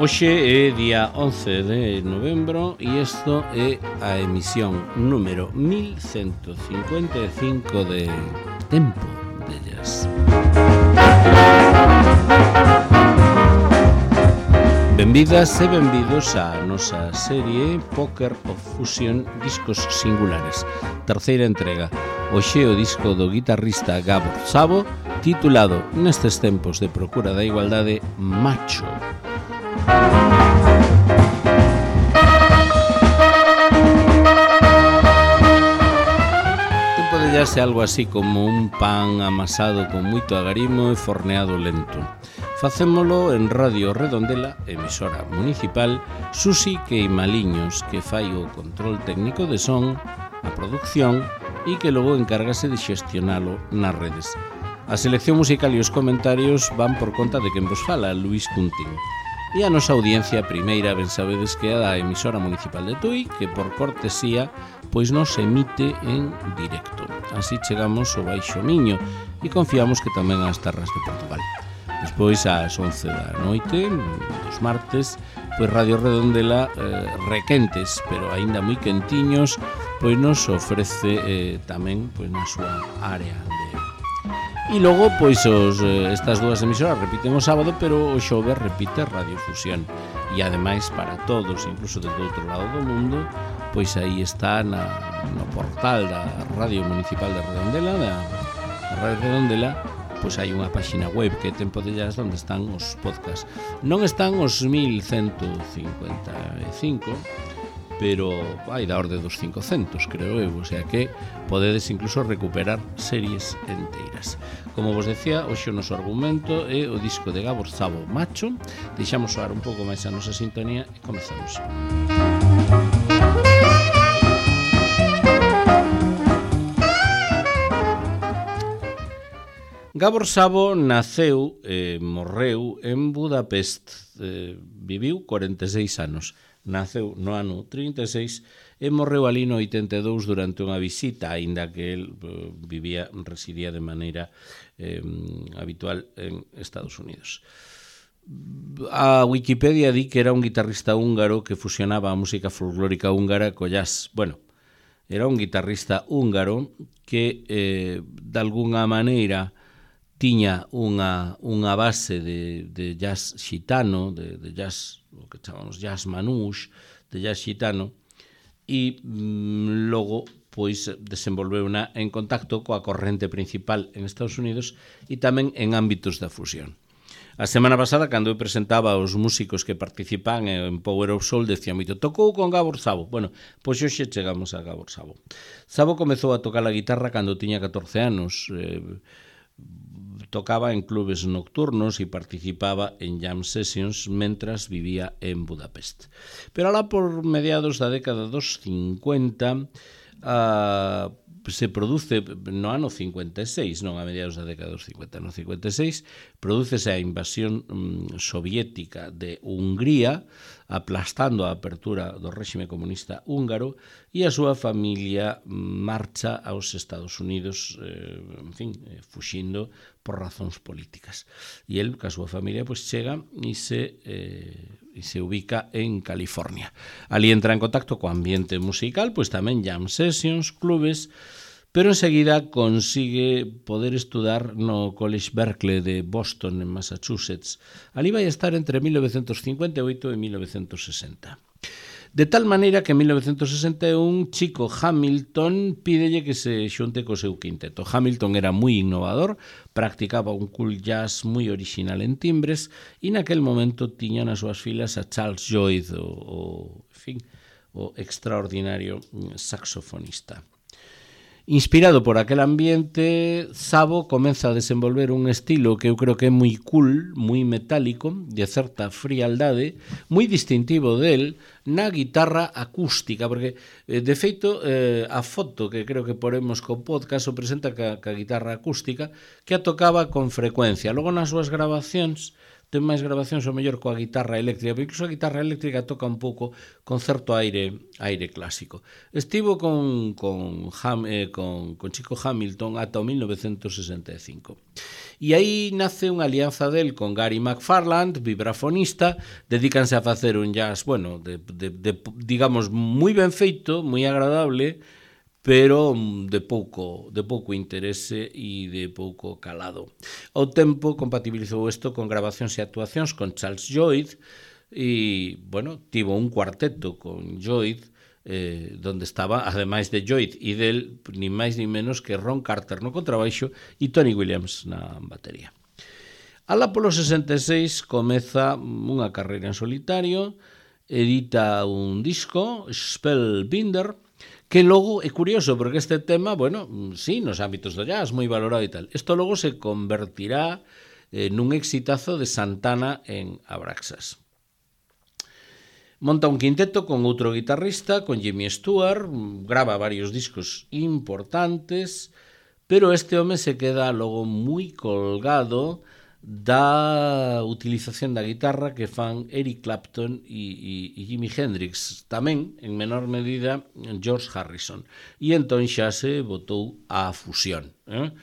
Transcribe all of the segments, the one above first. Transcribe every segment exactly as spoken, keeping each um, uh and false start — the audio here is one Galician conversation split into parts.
Hoxe é día once de novembro e isto é a emisión número mil ciento cincuenta e cinco de Tempo de Jazz. Benvidas e benvidos á nosa serie Poker of Fusion Discos Singulares, terceira entrega. Hoxe o disco do guitarrista Gabor Szabo, titulado nestes tempos de procura da igualdade, Macho. Tempo de Jazz é algo así como un pan amasado con moito agarimo e forneado lento. Facémolo en Radio Redondela, emisora municipal, Susi Queimaliños, que fai o control técnico de son, a producción e que logo encárgase de xestionalo nas redes. A selección musical e os comentarios van por conta de quen vos fala, Luís Cuntín. E a nosa audiencia primeira, ben sabedes que é a da emisora municipal de Tui, que por cortesía pois nos emite en directo. Así chegamos ao Baixo Miño e confiamos que tamén ás terras de Portugal. Despois, ás once da noite, dos martes, pois Radio Redondela, eh, requentes, pero aínda moi quentiños, pois nos ofrece eh, tamén pois na súa área de... E logo, pois, os, estas dúas emisoras repiten o sábado, pero o xoves repite Radio Fusión. E ademais, para todos, incluso desde outro lado do mundo, pois aí está na, no portal da Radio Municipal de Redondela, da Radio Redondela, pois hai unha páxina web que é Tempo de Jazz onde están os podcasts. Non están os mil ciento cincuenta e cinco, pero hai da orde dos cincocentos, creo eu, o sea que podedes incluso recuperar series enteiras. Como vos decía, hoxe o noso argumento é o disco de Gabor Szabo, Macho. Deixamos soar un pouco máis a nosa sintonía e comezamos. Gabor Szabo naceu e morreu en Budapest, eh, viviu corenta e seis anos. Naceu no ano trinta e seis e morreu ali no oitenta e dous durante unha visita, aínda que el eh, vivía, residía de maneira eh, habitual en Estados Unidos. A Wikipedia di que era un guitarrista húngaro que fusionaba a música folclórica húngara co jazz. Bueno, era un guitarrista húngaro que eh, de alguna maneira tiña unha, unha base de, de jazz xitano, de, de jazz, o que chamamos jazz manús, de jazz xitano, e mm, logo pois desenvolveu na, en contacto coa corrente principal en Estados Unidos e tamén en ámbitos da fusión. A semana pasada, cando eu presentaba os músicos que participan en Power of Soul, decía moito, tocou con Gabor Szabo. Bueno, pois hoxe chegamos a Gabor Szabo. Szabo comezou a tocar a guitarra cando tiña catorce anos, eh, tocaba en clubes nocturnos e participaba en jam sessions mentras vivía en Budapest. Pero alá por mediados da década dos cincuenta uh, se produce, no ano cincuenta e seis, non a mediados da década dos cincuenta, no cincuenta e seis, prodúcese a invasión um, soviética de Hungría, aplastando a apertura do réxime comunista húngaro, e a súa familia marcha aos Estados Unidos, eh, en fin, eh, fuxindo por razóns políticas. E el, ca súa familia, pois chega e se, eh, e se ubica en California. Ali entra en contacto co ambiente musical, pois tamén jam sessions, clubes, pero enseguida consigue poder estudar no College Berkeley de Boston, en Massachusetts. Ali vai estar entre mil novecentos cincuenta e oito e mil novecentos sesenta. De tal maneira que en mil novecentos sesenta e un Chico Hamilton pídelle que se xunte co seu quinteto. Hamilton era moi innovador, practicaba un cool jazz moi original en timbres e naquel momento tiña nas súas filas a Charles Lloyd, o, o, en fin, o extraordinario saxofonista. Inspirado por aquel ambiente, Szabo comeza a desenvolver un estilo que eu creo que é moi cool, moi metálico, de certa frialdade, moi distintivo del na guitarra acústica, porque, de feito, eh, a foto que creo que poremos co podcast o presenta ca, ca guitarra acústica, que a tocaba con frecuencia. Logo, nas súas grabacións, ten máis grabacións ao mellor coa guitarra eléctrica, porque incluso a guitarra eléctrica toca un pouco con certo aire aire clásico. Estivo con, con, Ham, eh, con, con Chico Hamilton ata o mil novecentos sesenta e cinco. E aí nace unha alianza del con Gary McFarland, vibrafonista, dedícanse a facer un jazz, bueno, de, de, de, digamos, moi ben feito, moi agradable, pero de pouco de pouco interese e de pouco calado. Ao tempo compatibilizou isto con grabacións e actuacións con Charles Lloyd e, bueno, tivo un cuarteto con Lloyd eh, donde estaba, ademais de Lloyd e del, ni máis ni menos que Ron Carter no contrabaixo e Tony Williams na batería. Alá polo sesenta e seis comeza unha carreira en solitario, edita un disco, Spellbinder, que logo é curioso, porque este tema, bueno, sí, nos ámbitos do jazz, moi valorado e tal. Isto logo se convertirá eh, nun exitazo de Santana en Abraxas. Monta un quinteto con outro guitarrista, con Jimmy Stewart, grava varios discos importantes, pero este home se queda logo moi colgado da utilización da guitarra que fan Eric Clapton e, e, e Jimi Hendrix, tamén, en menor medida, George Harrison. E entón xa se botou á fusión. Eh?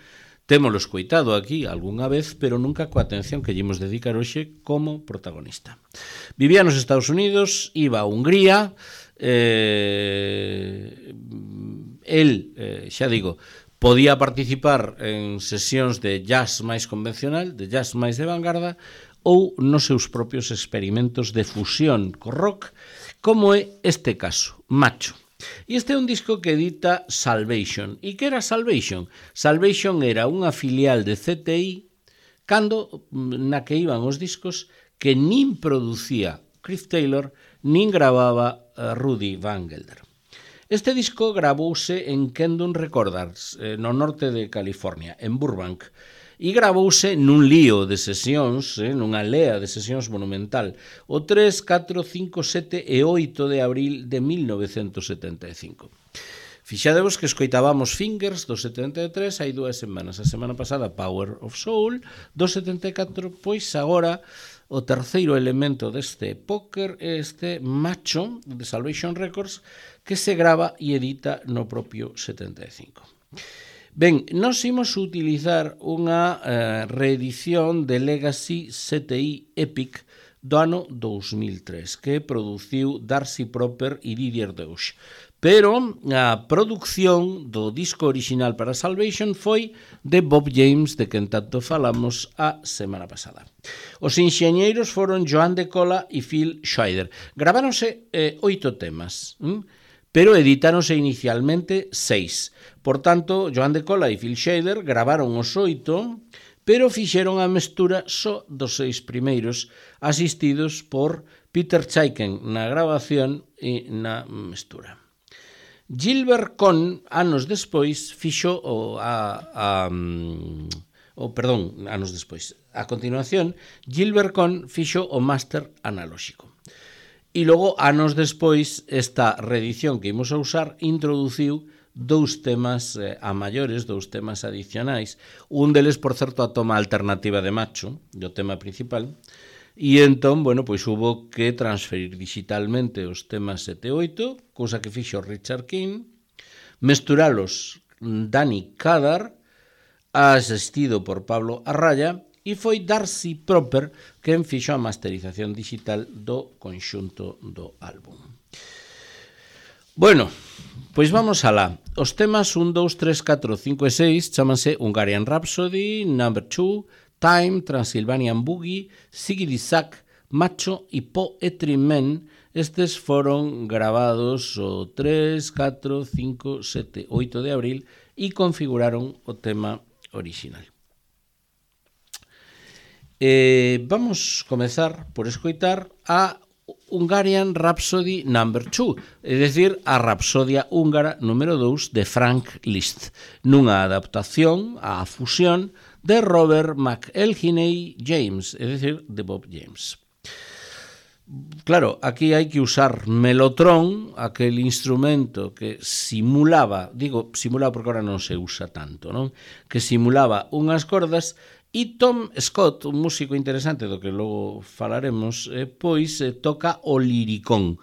Témolo escoitado aquí algunha vez, pero nunca coa atención que lle imos dedicar hoxe como protagonista. Vivía nos Estados Unidos, iba a Hungría, eh, el, eh, xa digo, podía participar en sesións de jazz máis convencional, de jazz máis de vanguarda, ou nos seus propios experimentos de fusión co rock, como é este caso, Macho. E este é un disco que edita Salvation. E que era Salvation? Salvation era unha filial de C T I cando na que iban os discos que nin producía Cliff Taylor, nin gravaba Rudy Van Gelder. Este disco gravouse en Kendon Recorders, no norte de California, en Burbank, e gravouse nun lío de sesións, eh, nunha lea de sesións monumental, o tres, catro, cinco, sete e oito de abril de mil novecentos setenta e cinco. Fixadevos que escoitábamos Fingers do setenta e tres hai dúas semanas, a semana pasada Power of Soul do setenta e catro, pois agora o terceiro elemento deste póker é este Macho de Salvation Records que se grava e edita no propio setenta e cinco. Ben, nós imos utilizar unha eh, reedición de Legacy C T I Epic do ano dous mil tres que produciu Darcy Proper e Didier Deutsch. Pero a produción do disco original para Salvation foi de Bob James, de quen tanto falamos a semana pasada. Os enxeñeiros foron Joan de Cola e Phil Scheider. Graváronse eh, oito temas, hm? pero editáronse inicialmente seis. Por tanto, Joan de Cola e Phil Scheider gravaron os oito, pero fixeron a mestura só dos seis primeiros, asistidos por Peter Chaiken na grabación e na mestura. Gilbert Cohn, anos despois, fixo o, a, a, o perdón, anos despois. A continuación, Gilbert Cohn fixo o máster analóxico. E logo, anos despois, esta reedición que imos a usar introduciu dous temas eh, a maiores, dous temas adicionais. Un deles, por certo, a toma alternativa de Macho, do tema principal. E entón, bueno, pois hubo que transferir digitalmente os temas sete e oito, cousa que fixo Richard King, mesturalos Danny Kadar, asistido por Pablo Arraya, e foi Darcy Proper quen fixo a masterización digital do conxunto do álbum. Bueno, pois vamos alá. Os temas un, dous, tres, catro, cinco e seis chamanse Hungarian Rhapsody, Number two, Time, Transylvanian Boogie, Siggity Sack, Macho e Poetry Men. Estes foron gravados o tres, catro, cinco, sete, oito de abril e configuraron o tema original. Eh, vamos comezar por escoitar a Hungarian Rhapsody number two, é dicir, a Rapsodia húngara número dous de Frank Liszt, nunha adaptación á fusión de Robert McElhinney James, é dicir, de Bob James. Claro, aquí hai que usar melotron, aquel instrumento que simulaba, digo simulaba porque ahora non se usa tanto, non? Que simulaba unhas cordas E Tom Scott, un músico interesante do que logo falaremos, eh, pois eh, toca o liricón,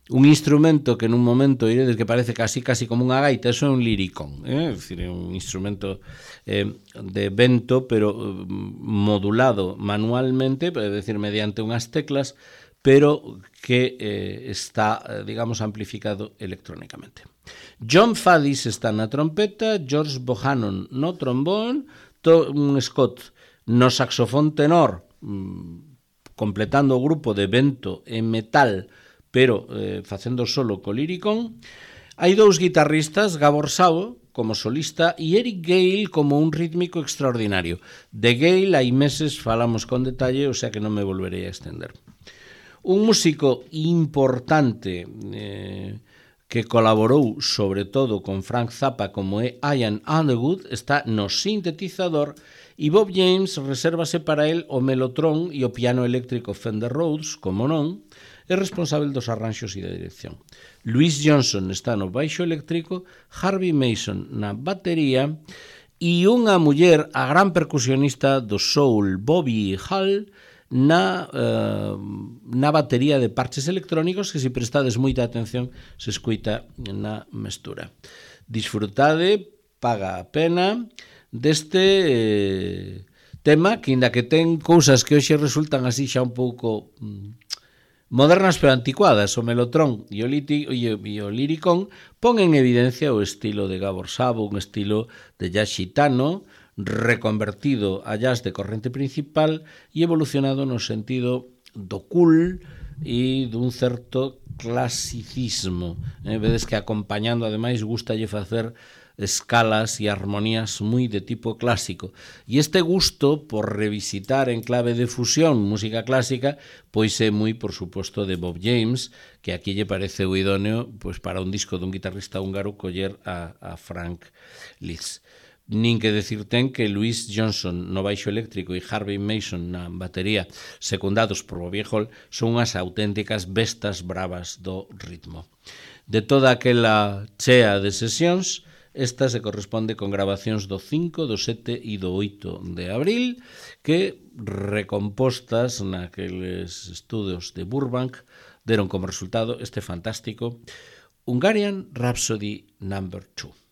un instrumento que nun momento iredes que parece casi casi como unha gaita, eso é un liricón, eh? É dicir, é un instrumento eh, de vento, pero eh, modulado manualmente, é dicir, mediante unhas teclas, pero que eh, está, digamos, amplificado electrónicamente. John Faddis está na trompeta, George Bohannon no trombón, Tom Scott no saxofón tenor, completando o grupo de vento e metal, pero eh, facendo solo co liricón. Hai dous guitarristas, Gabor Szabo como solista e Eric Gale como un rítmico extraordinario. De Gale hai meses falamos con detalle, o sea que non me volverei a extender. Un músico importante eh, que colaborou sobre todo con Frank Zappa como é Ian Underwood está no sintetizador e Bob James resérvase para el o melotron e o piano eléctrico Fender Rhodes, como non, é responsable dos arranxos e da dirección. Louis Johnson está no baixo eléctrico, Harvey Mason na batería e unha muller, a gran percusionista do soul Bobby Hall, na, uh, na batería de parches electrónicos que, se prestades moita atención, se escuita na mestura. Disfrutade, paga a pena deste eh, tema que, inda que ten cousas que hoxe resultan así xa un pouco mm, modernas pero anticuadas, o melotron e o, liti, e o liricón pon en evidencia o estilo de Gabor Szabo, un estilo de jazz xitano reconvertido a jazz de corrente principal e evolucionado no sentido do cool e dun certo clasicismo. Eh, vedes que acompañando, ademais, gustalle facer escalas e armonías moi de tipo clásico. E este gusto por revisitar en clave de fusión música clásica, pois é moi, por suposto, de Bob James, que aquí lle parece o idóneo pois, para un disco dun guitarrista húngaro coller a, a Frank Liszt. Nin que decir ten que Louis Johnson no baixo eléctrico e Harvey Mason na batería, secundados por Bobby Hall, son unhas auténticas bestas bravas do ritmo. De toda aquela chea de sesións, esta se corresponde con grabacións do cinco, do sete e do oito de abril, que, recompostas naqueles estudos de Burbank, deron como resultado este fantástico Hungarian Rhapsody número dos.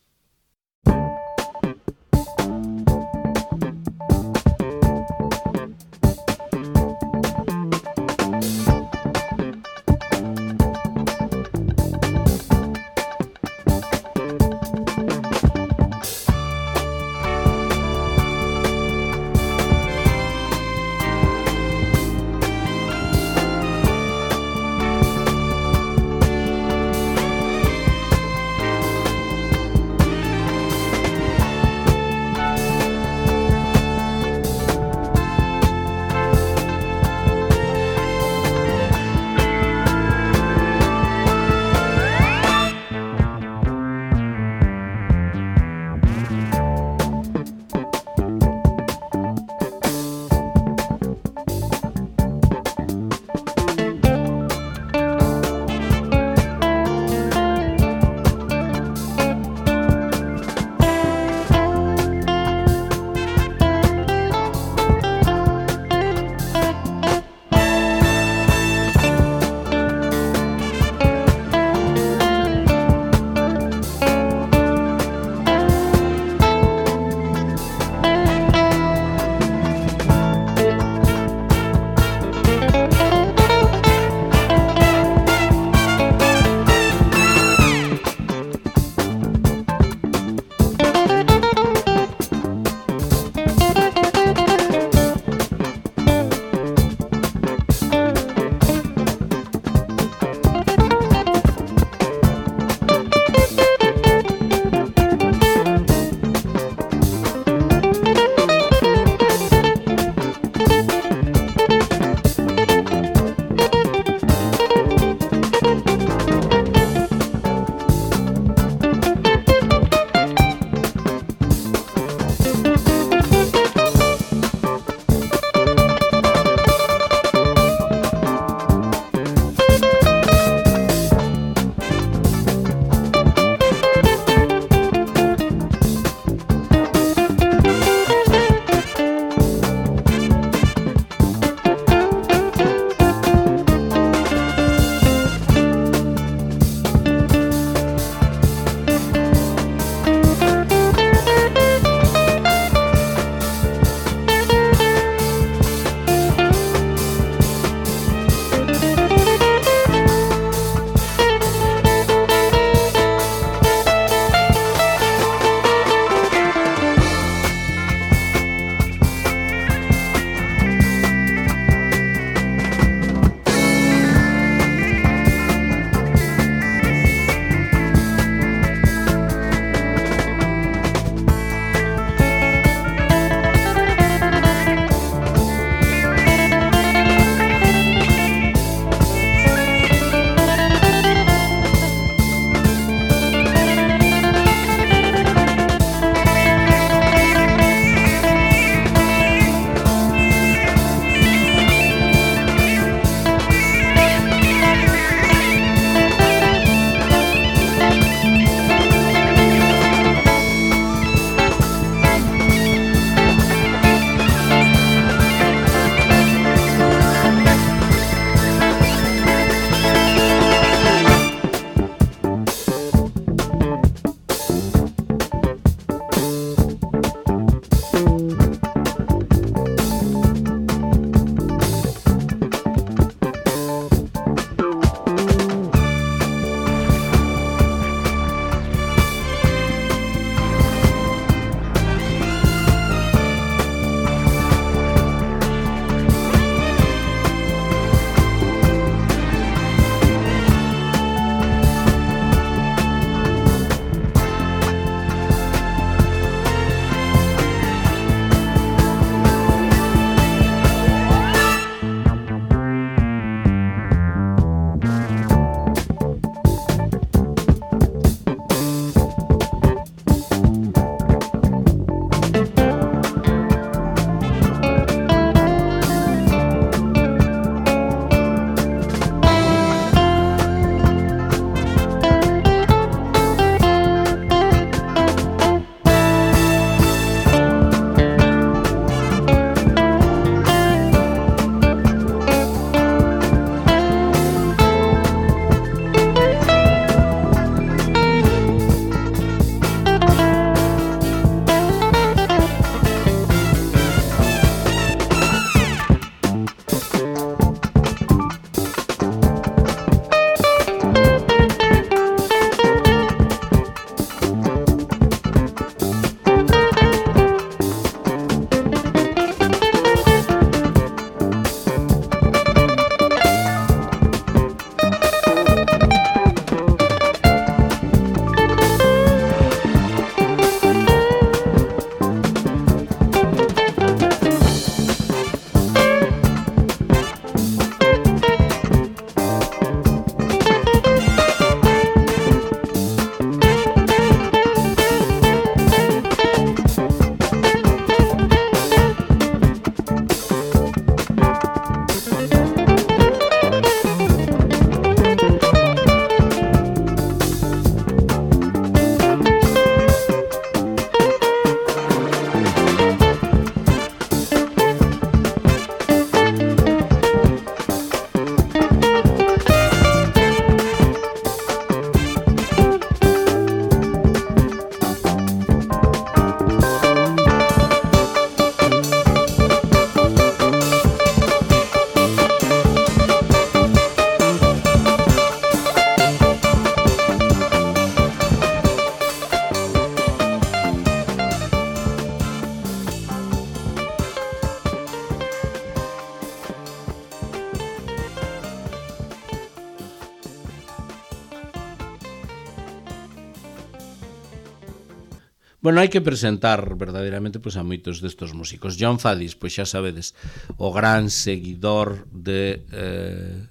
Bueno, hai que presentar verdadeiramente pois, a moitos destos músicos. John Faddis, pois xa sabedes, o gran seguidor de... Eh,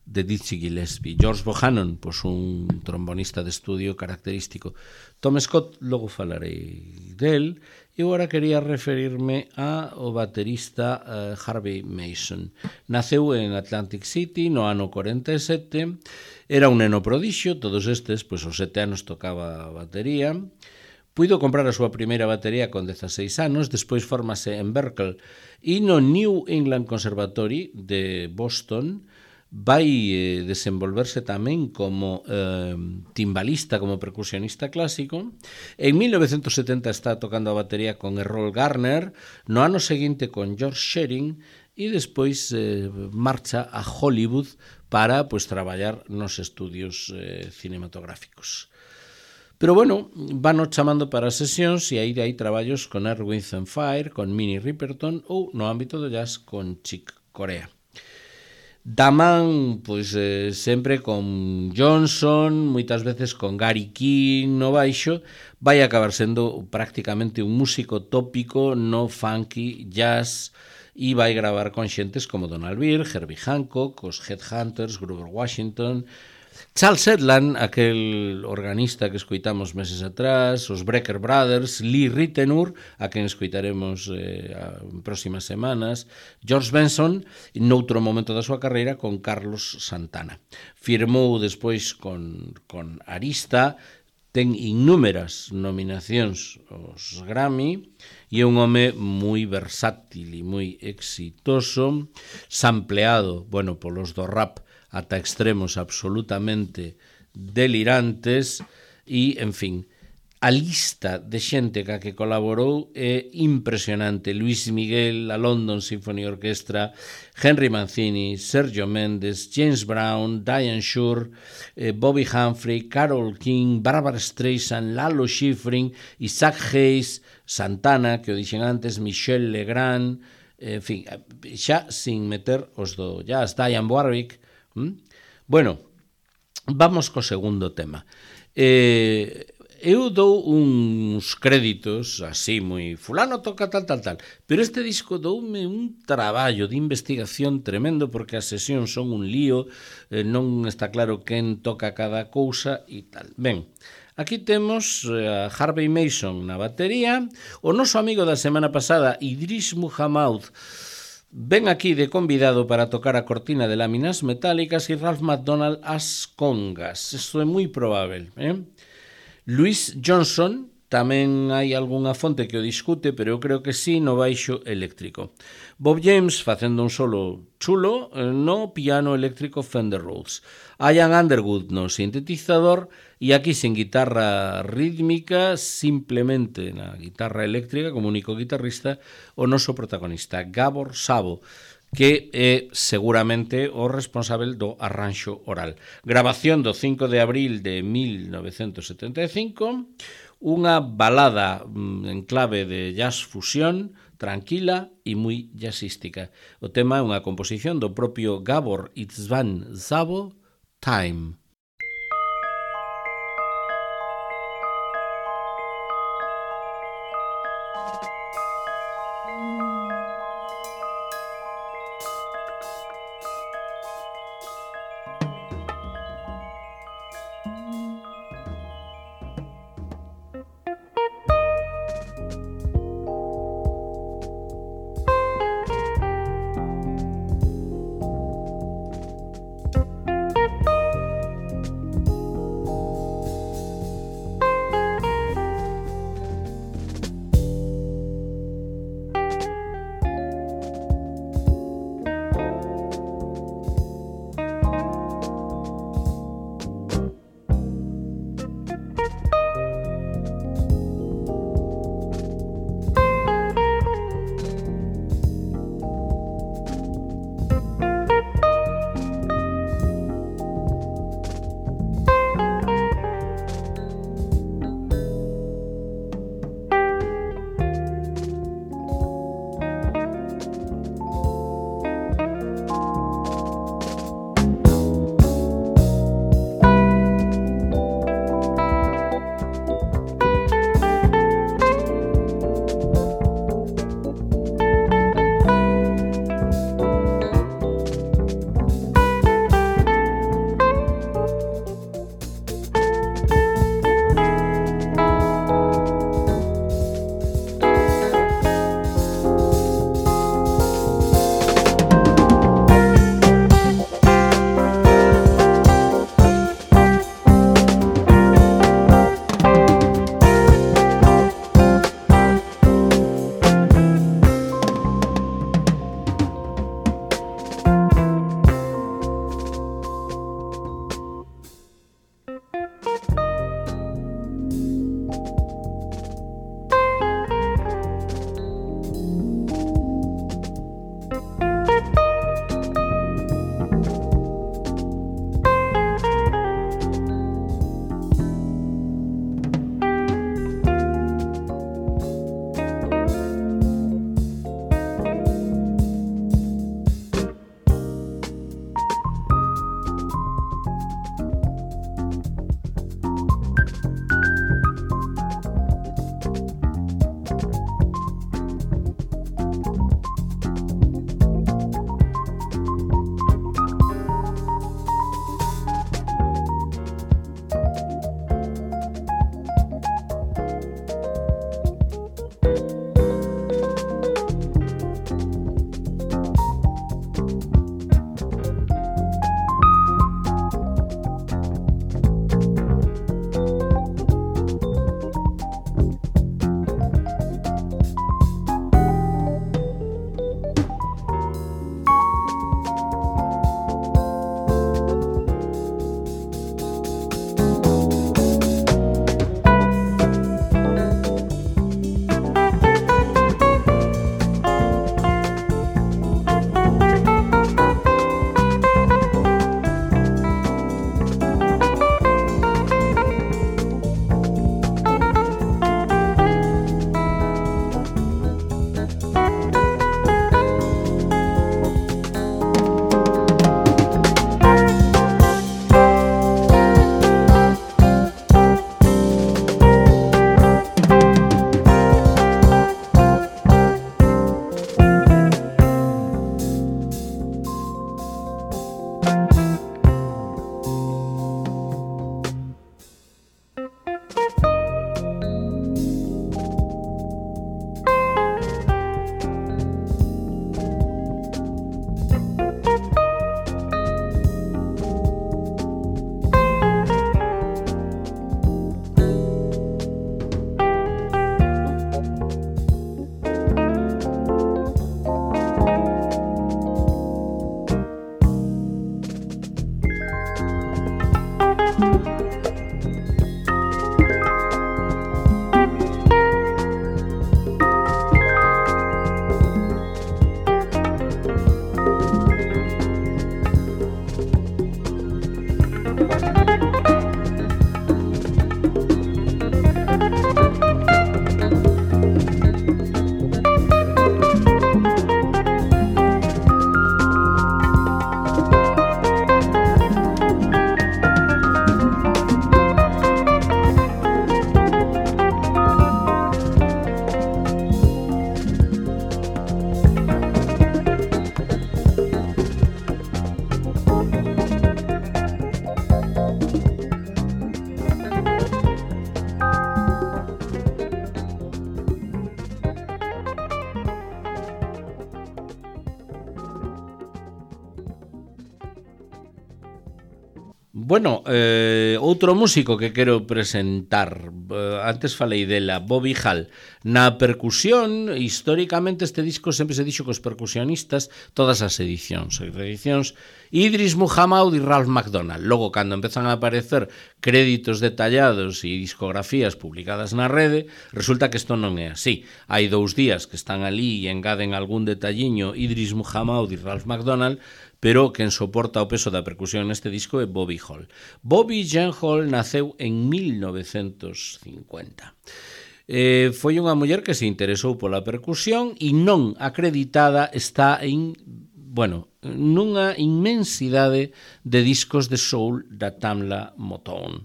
de Dizzy Gillespie. George Bohannon, pois un trombonista de estudio característico. Tom Scott, logo falarei del. E agora quería referirme ao baterista uh, Harvey Mason. Naceu en Atlantic City no ano cuarenta e sete. Era un neno prodixio, todos estes, pois aos sete anos tocaba a batería. Puido comprar a súa primeira batería con dezaseis anos, despois formase en Berklee e no New England Conservatory de Boston. Vai eh, desenvolverse tamén como eh, timbalista, como percusionista clásico. En mil novecientos setenta está tocando a batería con Errol Garner, no ano seguinte con George Shearing e despois eh, marcha a Hollywood para pues, traballar nos estudios eh, cinematográficos. Pero bueno, van chamando para sesións e aí hai traballos con Earth, Wind and Fire, con Minnie Riperton ou no ámbito do jazz con Chick Corea. Da man, pois, eh, sempre con Johnson, moitas veces con Gary King no baixo, vai acabar sendo prácticamente un músico tópico no funky jazz e vai gravar con xentes como Donald Byrd, Herbie Hancock, os Headhunters, Grover Washington, Charles Edland, aquel organista que escoitamos meses atrás, os Brecker Brothers, Lee Ritenour, a quen escoitaremos eh, en próximas semanas, George Benson, noutro momento da súa carreira, con Carlos Santana. Firmou despois con, con Arista, ten innúmeras nominacións aos Grammy e é un home moi versátil e moi exitoso, sampleado, bueno, polos do rap ata extremos absolutamente delirantes e, en fin, a lista de xente ca que colaborou é impresionante. Luis Miguel, a London Symphony Orchestra, Henry Mancini, Sergio Mendes, James Brown, Diane Shure, eh, Bobby Humphrey, Carole King, Barbara Streisand, Lalo Schifrin, Isaac Hayes, Santana, que o dixen antes, Michel Legrand, en fin, xa sin meter os do jazz, Diane Warwick. ¿Mm? Bueno, vamos co segundo tema. Eh, eu dou uns créditos así moi fulano toca tal, tal, tal, pero este disco doume un traballo de investigación tremendo porque as sesións son un lío, eh, non está claro quen toca cada cousa e tal. Ben, aquí temos a Harvey Mason na batería, o noso amigo da semana pasada, Idris Muhammad, ven aquí de convidado para tocar a cortina de láminas metálicas e Ralph McDonald as congas. Isto é moi probable. Eh? Louis Johnson, tamén hai algunha fonte que o discute, pero eu creo que sí no baixo eléctrico. Bob James facendo un solo chulo no piano eléctrico Fender Rhodes. Ian Underwood no sintetizador e aquí sen guitarra rítmica, simplemente na guitarra eléctrica como único guitarrista, o noso protagonista, Gabor Szabo, que é seguramente o responsável do arranxo oral. Grabación do cinco de abril de mil novecentos setenta e cinco, unha balada en clave de jazz fusión, tranquila e moi jazzística. O tema é unha composición do propio Gabor István Szabo, Time. Bueno, eh, outro músico que quero presentar, eh, antes falei dela, Bobby Hall. Na percusión, históricamente este disco sempre se dixo que os percusionistas, todas as edicións, as edicións, Idris Muhammad e Ralph McDonald. Logo, cando empezan a aparecer créditos detallados e discografías publicadas na rede, resulta que isto non é así. Hai dous días que están ali e engaden algún detalliño Idris Muhammad e Ralph McDonald, pero quen soporta o peso da percusión neste disco é Bobby Hall. Bobby Jean Hall naceu en mil novecentos cincuenta. Eh, foi unha muller que se interesou pola percusión e non acreditada está en, bueno, nunha inmensidade de discos de soul da Tamla Motown.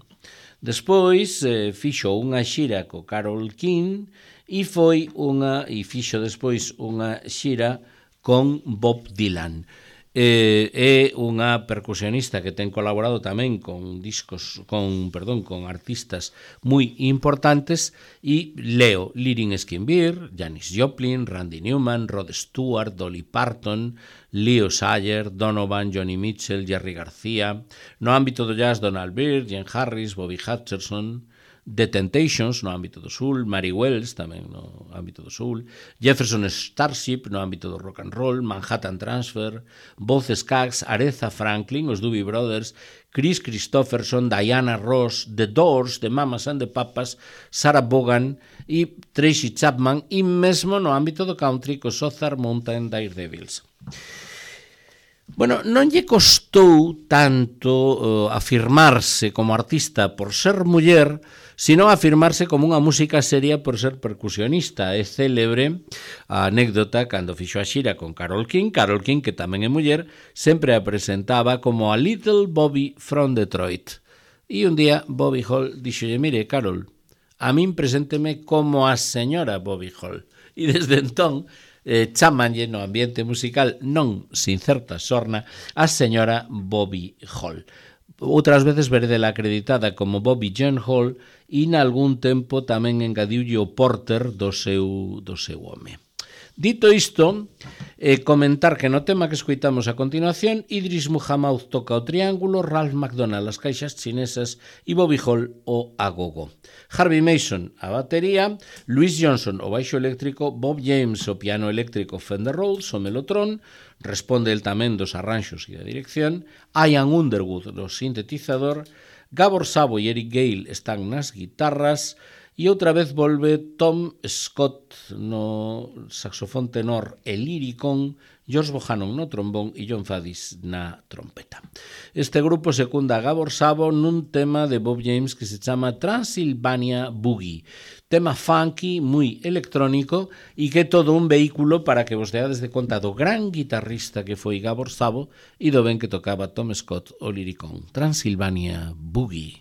Despois eh, fixo unha xira co Carole King e foi unha e fixo despois unha xira con Bob Dylan. Eh, é unha percusionista que ten colaborado tamén con discos, con, perdón, con artistas moi importantes e leo Lyric Skinbeer, Janis Joplin, Randy Newman, Rod Stewart, Dolly Parton, Leo Sayer, Donovan, Johnny Mitchell, Jerry García. No ámbito do jazz, Donald Byrd, Jen Harris, Bobby Hutcherson, The Temptations no ámbito do soul, Mary Wells tamén no ámbito do soul, Jefferson Starship no ámbito do rock and roll, Manhattan Transfer, Boz Scaggs, Aretha Franklin, os Doobie Brothers, Chris Christopherson, Diana Ross, The Doors, The Mamas and the Papas, Sarah Vaughan e Tracy Chapman, e mesmo no ámbito do country co Ozark Mountain Daredevils. Bueno, non lle costou tanto uh, afirmarse como artista por ser muller, sino afirmarse como unha música seria por ser percusionista. É célebre a anécdota cando fixo a xira con Carole King. Carole King, que tamén é muller, sempre a presentaba como a Little Bobby from Detroit. E un día Bobby Hall dixolle, mire, Carole, a min presénteme como a señora Bobby Hall. E desde entón eh, chamanlle no ambiente musical, non sin certa sorna, a señora Bobby Hall. Outras veces veredela acreditada como Bobby Jean Hall e nalgún tempo tamén engadiulle o Porter do seu, do seu home. Dito isto, eh, comentar que no tema que escoitamos a continuación, Idris Muhammad toca o triángulo, Ralph McDonald as caixas chinesas e Bobby Hall o agogo. Harvey Mason a batería, Louis Johnson o baixo eléctrico, Bob James o piano eléctrico Fender Rhodes o melotron, responde el tamén dos arranxos e da dirección, Ian Underwood no sintetizador, Gabor Szabo e Eric Gale están nas guitarras, e outra vez volve Tom Scott no saxofón tenor e liricón, George Bohannon no trombón e John Faddis na trompeta. Este grupo secunda a Gabor Szabo nun tema de Bob James que se chama Transylvania Boogie, tema funky, moi electrónico e que é todo un vehículo para que vos deades de conta do gran guitarrista que foi Gabor Szabo e do ben que tocaba Tom Scott o liricón. Transylvania Boogie.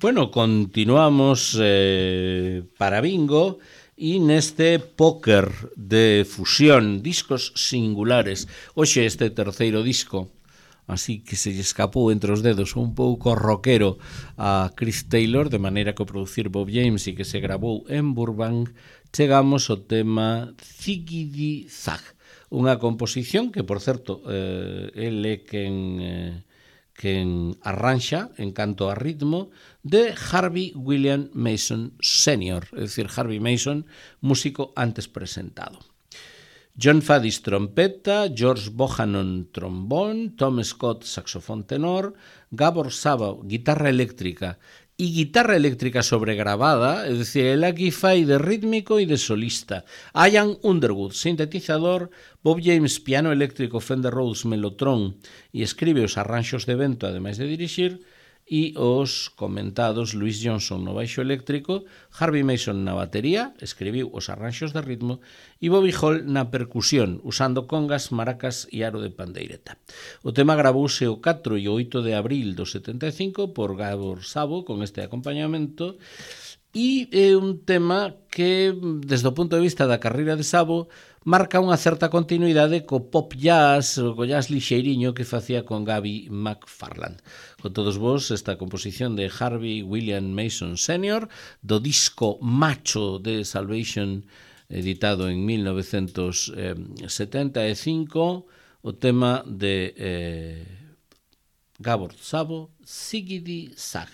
Bueno, continuamos eh, para bingo e neste póker de fusión, discos singulares. Hoxe este terceiro disco, así que se lle escapou entre os dedos un pouco rockero a Chris Taylor, de maneira que o producir Bob James e que se grabou en Burbank, chegamos ao tema Ziggity Zag, unha composición que, por certo, eh, ele é quen... Eh, quen arranxa en canto a ritmo de Harvey William Mason senior, é dicir, Harvey Mason, músico antes presentado. John Faddis trompeta, George Bohannon trombón, Tom Scott saxofón tenor, Gabor Szabo guitarra eléctrica e guitarra eléctrica sobregrabada, é dicir, el aquí fai de rítmico e de solista. Ian Underwood, sintetizador, Bob James, piano eléctrico, Fender Rhodes, Mellotron, e escribe os arranxos de vento, ademais de dirixir, e os comentados Louis Johnson no baixo eléctrico, Harvey Mason na batería, escribiu os arranxos de ritmo, e Bobby Hall na percusión, usando congas, maracas e aro de pandeireta. O tema gravouse o catro e o oito de abril do setenta e cinco por Gabor Szabo con este acompañamento, e é un tema que, desde o punto de vista da carreira de Szabo, marca unha certa continuidade co pop jazz, co jazz lixeiriño que facía con Gabby McFarland. Con todos vos, esta composición de Harvey William Mason senior, do disco Macho de Salvation, editado en mil novecentos setenta e cinco, o tema de eh, Gabor Szabo, Ziggity Zag.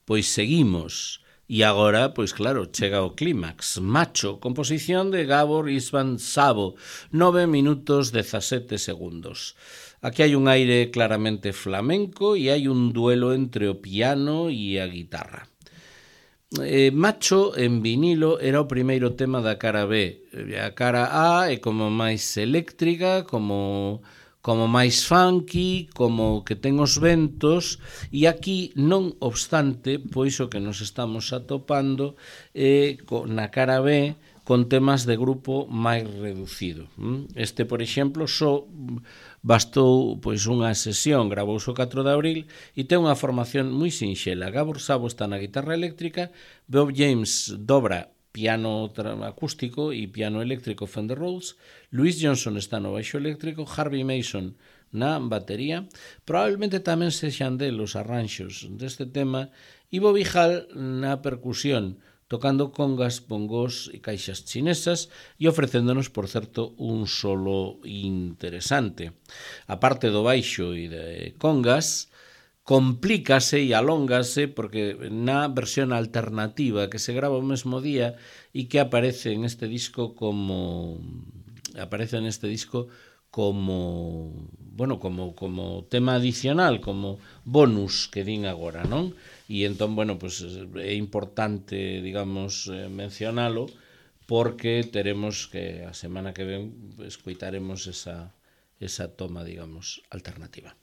Pois seguimos. E agora, pois claro, chega o clímax. Macho, composición de Gabor István Szabo, nove minutos dezasete segundos. Aquí hai un aire claramente flamenco e hai un duelo entre o piano e a guitarra. Eh, Macho en vinilo era o primeiro tema da cara B. A cara A é como máis eléctrica, como... como máis funky, como que ten os ventos, e aquí, non obstante, pois o que nos estamos atopando é eh, na cara B con temas de grupo máis reducido. Este, por exemplo, só bastou pois unha sesión, gravouse o catro de abril e ten unha formación moi sinxela. Gabor Szabo está na guitarra eléctrica, Bob James dobra piano acústico e piano eléctrico Fender Rhodes, Louis Johnson está no baixo eléctrico, Harvey Mason na batería, probablemente tamén sexan delos arranxos deste tema, e Bobby Hall na percusión, tocando congas, bongos e caixas chinesas e ofrecéndonos, por certo, un solo interesante. A parte do baixo e de congas, complícase e alóngase porque na versión alternativa que se grava o mesmo día e que aparece en este disco como aparece en este disco como bueno, como como tema adicional, como bonus que din agora, non? E entón, bueno, pues é importante, digamos, mencionalo porque teremos que a semana que ven escoitaremos esa esa toma, digamos, alternativa.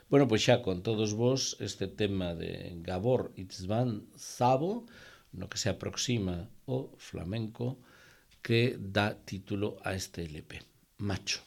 Bueno, pois xa con todos vos este tema de Gabor István Szabo, no que se aproxima o flamenco, que dá título a este L P, Macho.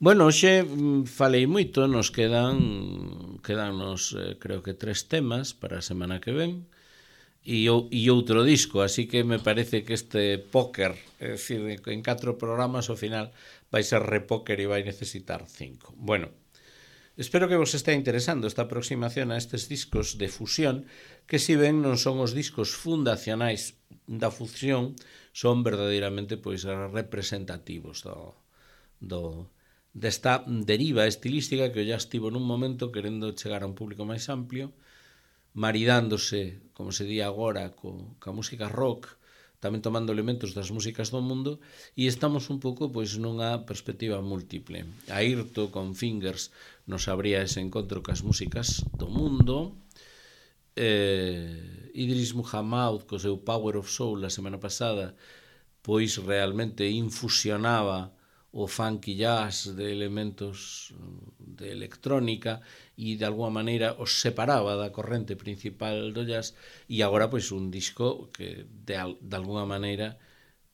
Bueno, hoxe falei moito, nos quedan quedannos, eh, creo que tres temas para a semana que ven e, e outro disco, así que me parece que este póker, é dicir, en catro programas ao final vai ser repóker e vai necesitar cinco. Bueno, espero que vos estea interesando esta aproximación a estes discos de fusión, que si ben non son os discos fundacionais da fusión, son verdadeiramente pois representativos do, do desta deriva estilística que ya estivo nun momento querendo chegar a un público máis amplio, maridándose, como se di agora, co, ca música rock, tamén tomando elementos das músicas do mundo, e estamos un pouco pois nunha perspectiva múltiple. Airto con Fingers nos abría ese encontro cas músicas do mundo, eh, Idris Muhammad co seu Power of Soul a semana pasada pois realmente infusionaba o funky jazz de elementos de electrónica e de alguma maneira os separaba da corrente principal do jazz, e agora pois un disco que de, de alguma maneira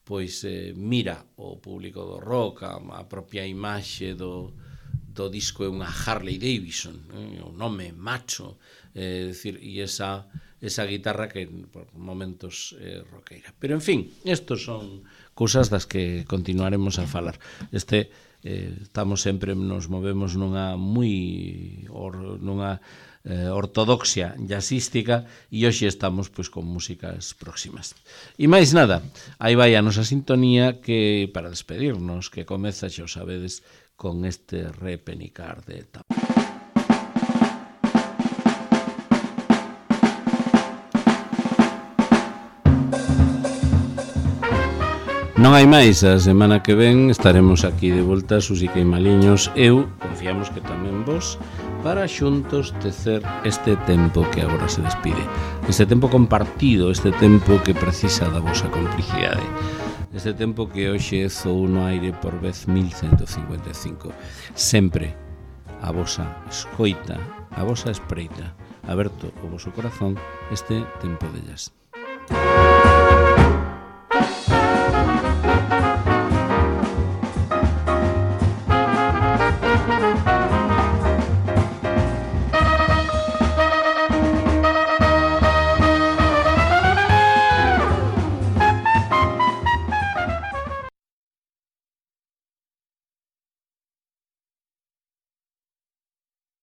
pois eh, mira o público do rock, a, a propia imaxe do, do disco é unha Harley Davidson, eh, o nome macho, eh, decir, e esa, esa guitarra que por momentos é eh, rockera. Pero en fin, estos son cousas das que continuaremos a falar. Este eh, estamos sempre, nos movemos nunha moi or, nunha eh, ortodoxia jazzística, e hoxe estamos pois con músicas próximas. E máis nada, aí vai a nosa sintonía que para despedirnos, que comeza, xa o sabedes, con este repenicar de etapa. Non hai máis, a semana que ven estaremos aquí de volta, Susica e Maliños, eu, confiamos que tamén vos, para xuntos tecer este tempo que agora se despide. Este tempo compartido, este tempo que precisa da vosa complicidade. Este tempo que hoxe zou no aire por vez mil ciento cincuenta e cinco. Sempre a vosa escoita, a vosa espreita, aberto o voso corazón, este tempo de jazz.